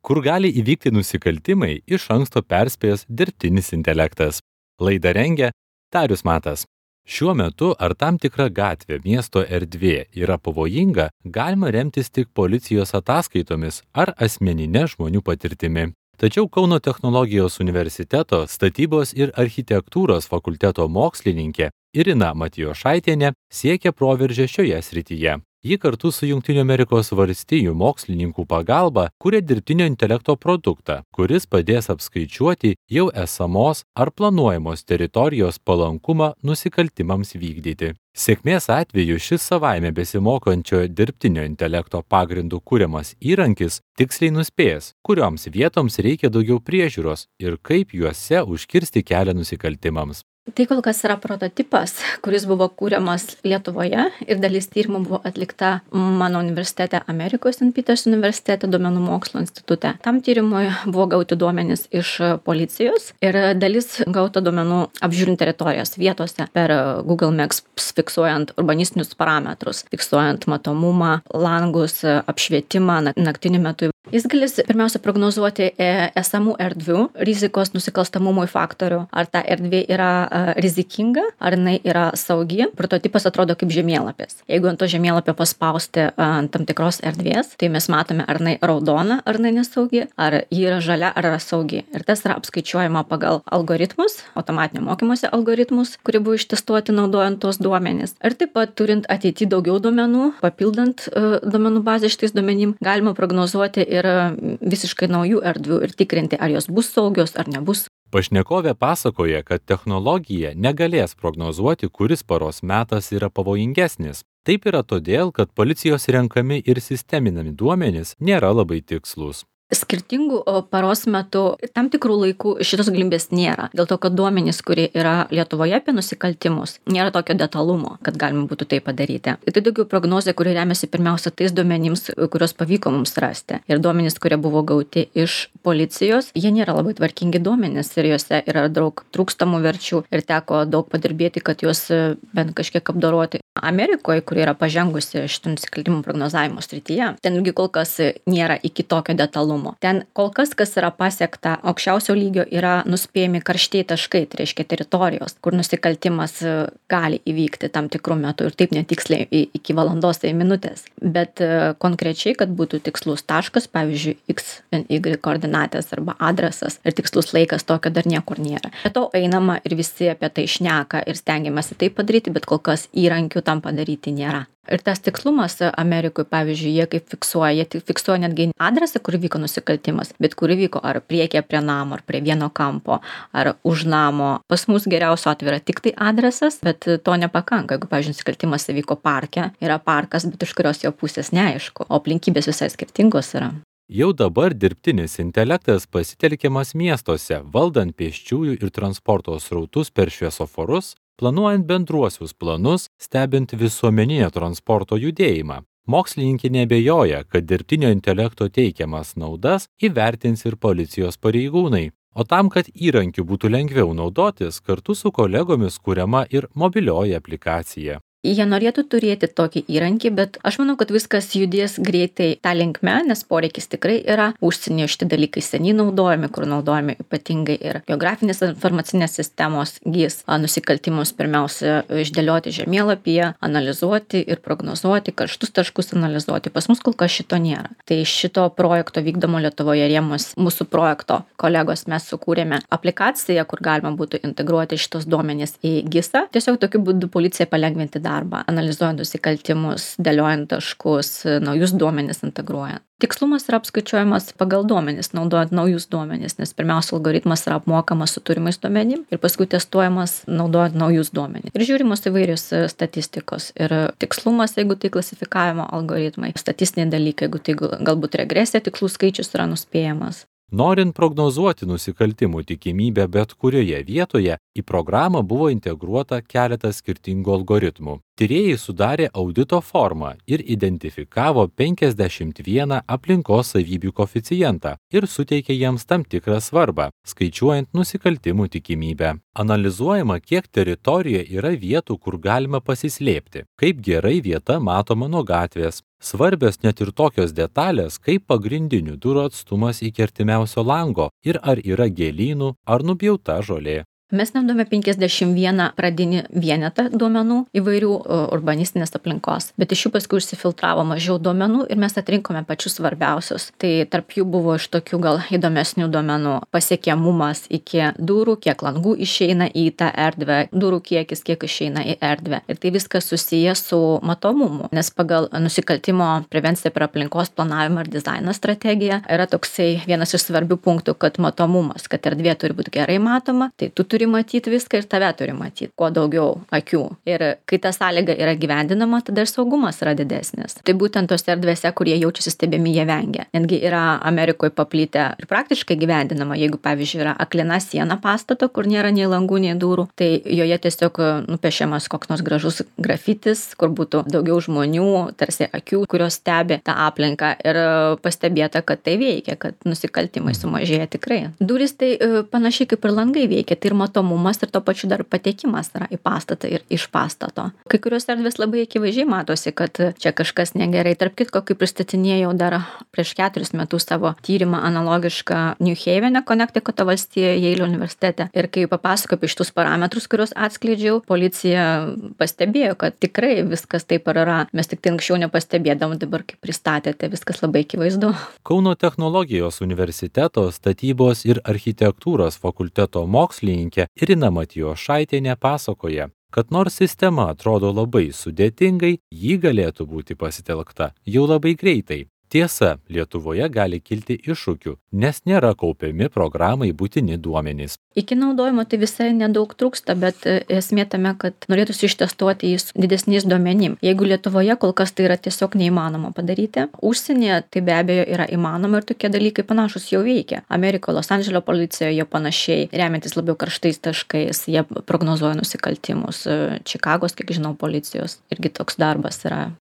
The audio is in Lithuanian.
Kur gali įvykti nusikaltimai, iš anksto perspėjęs dirbtinis intelektas. Laidą rengia Darius Matas. Šiuo metu ar tam tikra gatvė, miesto erdvė yra pavojinga, galima remtis tik policijos ataskaitomis ar asmeninė žmonių patirtimi. Tačiau Kauno technologijos universiteto statybos ir architektūros fakulteto mokslininkė Irina Matijošaitienė siekia proveržio šioje srityje. Ji kartu su Jungtinių Amerikos valstijų mokslininkų pagalba kuria dirbtinio intelekto produktą, kuris padės apskaičiuoti jau esamos ar planuojamos teritorijos palankumą nusikaltimams vykdyti. Sėkmės atveju šis savaime besimokančio dirbtinio intelekto pagrindų kuriamas įrankis tiksliai nuspės, kurioms vietoms reikia daugiau priežiūros ir kaip juose užkirsti kelią nusikaltimams. Tai kol kas yra prototipas, kuris buvo kūriamas Lietuvoje ir dalis tyrimų buvo atlikta mano universitete, Amerikos St. Peters universitete, duomenų mokslo institute. Tam tyrimui buvo gauti duomenys iš policijos ir dalis gauta duomenų apžiūrint teritorijas vietose per Google Maps, fiksuojant urbanistinius parametrus, fiksuojant matomumą, langus, apšvietimą naktiniu metu. Jis galės pirmiausia prognozuoti esamų erdvių rizikos nusikalstamumui faktorių, ar ta erdvė yra rizikinga, ar jinai yra saugi. Prototipas atrodo kaip žemėlapis. Jeigu ant to žemėlapio paspausti ant tam tikros erdvės, tai mes matome, ar jinai raudona, ar jinai nesaugi, ar ji yra žalia, ar yra saugi. Ir tas yra apskaičiuojama pagal algoritmus, automatinio mokymosi algoritmus, kurie buvo ištestuoti naudojant tos duomenys. Ir taip pat turint ateity daugiau duomenų, papildant duomenų bazę šitais duomenim, galima prognozuoti ir visiškai naujų erdvių ir tikrinti, ar jos bus saugios ar nebus. Pašnekovė pasakoja, kad technologija negalės prognozuoti, kuris paros metas yra pavojingesnis. Taip yra todėl, kad policijos renkami ir sisteminami duomenys nėra labai tikslūs. Skirtingų paros metu tam tikrų laikų šitos galimybės nėra. Dėl to, kad duomenys, kurie yra Lietuvoje apie nusikaltimus, nėra tokio detalumo, kad galima būtų tai padaryti. Tai daugiau prognozė, kuri remiasi pirmiausia tais duomenims, kurios pavyko mums rasti. Ir duomenys, kurie buvo gauti iš policijos, jie nėra labai tvarkingi duomenys ir juose yra daug trūkstamų verčių ir teko daug padirbėti, kad juos bent kažkiek apdoroti. Amerikoje, kuri yra pažengusi šitų nusikaltimų prognozavimo srityje, ten irgi kol kas nėra iki tokio detalumo. Ten kol kas yra pasiekta aukščiausio lygio, yra nuspėjami karštieji taškai, tai reiškia teritorijos, kur nusikaltimas gali įvykti tam tikrų metų ir taip netiksliai iki valandos tai minutės. Bet konkrečiai, kad būtų tikslus taškas, pavyzdžiui, X, Y koordinatės arba adresas ir tikslus laikas, tokio dar niekur nėra. Bet to einama ir visi apie tai šneka ir stengiamasi tai padaryti, bet kol kas įrankių tam padaryti nėra. Ir tas tikslumas Amerikoje, pavyzdžiui, jie fiksuoja netgi adresą, kur vyko nusikaltimas, bet kur vyko ar priekyje prie namo, ar prie vieno kampo, ar už namo. Pas mus geriausio atveju yra tik tai adresas, bet to nepakanka. Jeigu, pavyzdžiui, nusikaltimas vyko parke, yra parkas, bet iš kurios jo pusės neaišku, o aplinkybės visai skirtingos yra. Jau dabar dirbtinis intelektas pasitelkiamas miestuose, valdant pėsčiųjų ir transporto srautus per šviesoforus, planuojant bendruosius planus, stebint visuomeninio transporto judėjimą. Mokslininkė neabejoja, kad dirbtinio intelekto teikiamas naudas įvertins ir policijos pareigūnai. O tam, kad įrankiu būtų lengviau naudotis, kartu su kolegomis kuriama ir mobilioji aplikacija. Jie norėtų turėti tokį įrankį, bet aš manau, kad viskas judės greitai tą linkme, nes poreikis tikrai yra. Užsienyje šitie dalykai seniai naudojami, kur naudojami ypatingai ir geografinės informacinės sistemos gys nusikaltimus pirmiausia išdėlioti žemėlapyje, analizuoti ir prognozuoti, karštus taškus analizuoti. Pas mus kol kas šito nėra. Tai šito projekto vykdomo Lietuvoje rėmus mūsų projekto kolegos mes sukūrėme aplikaciją, kur galima būtų integruoti šitos duomenys į GIS-ą. Tiesiog tokiu būdu policija palengvinti darbą, analizuojant nusikaltimus, dėliojant taškus, naujus duomenis integruojant. Tikslumas yra apskaičiuojamas pagal duomenis, naudojant naujus duomenis, nes pirmiausia algoritmas yra apmokamas su turimais duomenim ir paskui testuojamas naudojant naujus duomenis. Ir žiūrimos įvairios statistikos ir tikslumas, jeigu tai klasifikavimo algoritmai, statistiniai dalykai, jeigu tai galbūt regresija, tikslų skaičius yra nuspėjamas. Norint prognozuoti nusikaltimų tikimybę bet kurioje vietoje, į programą buvo integruota keletas skirtingų algoritmų. Tyrėjai sudarė audito formą ir identifikavo 51 aplinkos savybių koeficientą ir suteikė jiems tam tikrą svarbą, skaičiuojant nusikaltimų tikimybę. Analizuojama, kiek teritorijoje yra vietų, kur galima pasislėpti, kaip gerai vieta matoma nuo gatvės. Svarbios net ir tokios detalės, kaip pagrindinių durų atstumas iki artimiausio lango ir ar yra gėlynų ar nupjauta žolė. Mes naudojame 51 pradinį vienetą duomenų įvairių urbanistinės aplinkos, bet iš jų paskui užsifiltravo mažiau duomenų ir mes atrinkome pačius svarbiausius. Tai tarp jų buvo iš tokių gal įdomesnių duomenų pasiekiamumas iki durų, kiek langų išeina į tą erdvę, durų kiekis, kiek išeina į erdvę. Ir tai viskas susiję su matomumu, nes pagal nusikaltimo prevenciją per aplinkos planavimą ir dizaino strategiją yra toksai vienas iš svarbių punktų, kad matomumas, kad erdvė turi būti gerai matoma, tai tu turi matyti viską ir tave turi matyti, kuo daugiau akių. Ir kai ta sąlyga yra gyvendinama, tada ir saugumas yra didesnis. Tai būtent tos erdvėse, kur jie jaučiasi stebimi, jie vengia. Netgi yra Amerikoje paplitę ir praktiškai gyvendinama, jeigu, pavyzdžiui, yra aklina siena pastato, kur nėra nei langų, nei durų, tai joje tiesiog nupiešiamas koks nors gražus grafitis, kur būtų daugiau žmonių, tarsi akių, kurios stebi tą aplinką ir pastebėta, kad tai veikia, kad nusikaltimai sumažėja tikrai. Durys tai panašiai kaip ir langai veikia, tai ir matomumas ir to pačiu dar patekimas yra į pastatą ir iš pastato. Kai kurios erdvės labai akivaizdžiai matosi, kad čia kažkas negerai. Tarp kitko, kai pristatinėjau dar prieš 4 metus savo tyrimą analogišką New Havene, Connecticuto valstijoje, Yale universitete. Ir kai papasakojau apie šitus parametrus, kuriuos atskleidžiau, policija pastebėjo, kad tikrai viskas taip ir yra. Mes tik tai anksčiau nepastebėdavom, dabar kai pristatėte, viskas labai akivaizdu. Kauno technologijos universiteto statybos ir architektūros fakulteto mokslininkė Irina Matijošaitienė pasakoja, kad nors sistema atrodo labai sudėtingai, ji galėtų būti pasitelkta jau labai greitai. Tiesa, Lietuvoje gali kilti iššūkių, nes nėra kaupiami programai būtini duomenys. Iki naudojimo tai visai nedaug trūksta, bet esmė tame, kad norėtųsi ištestuoti jį didesniais duomenim. Jeigu Lietuvoje kol kas tai yra tiesiog neįmanoma padaryti, užsienyje tai be abejo yra įmanoma ir tokie dalykai panašus jau veikia. Amerikoje, Los Andželo policijoje panašiai, remiantis labiau karštais taškais, jie prognozuoja nusikaltimus. Čikagos, kiek žinau, policijos irgi toks darbas yra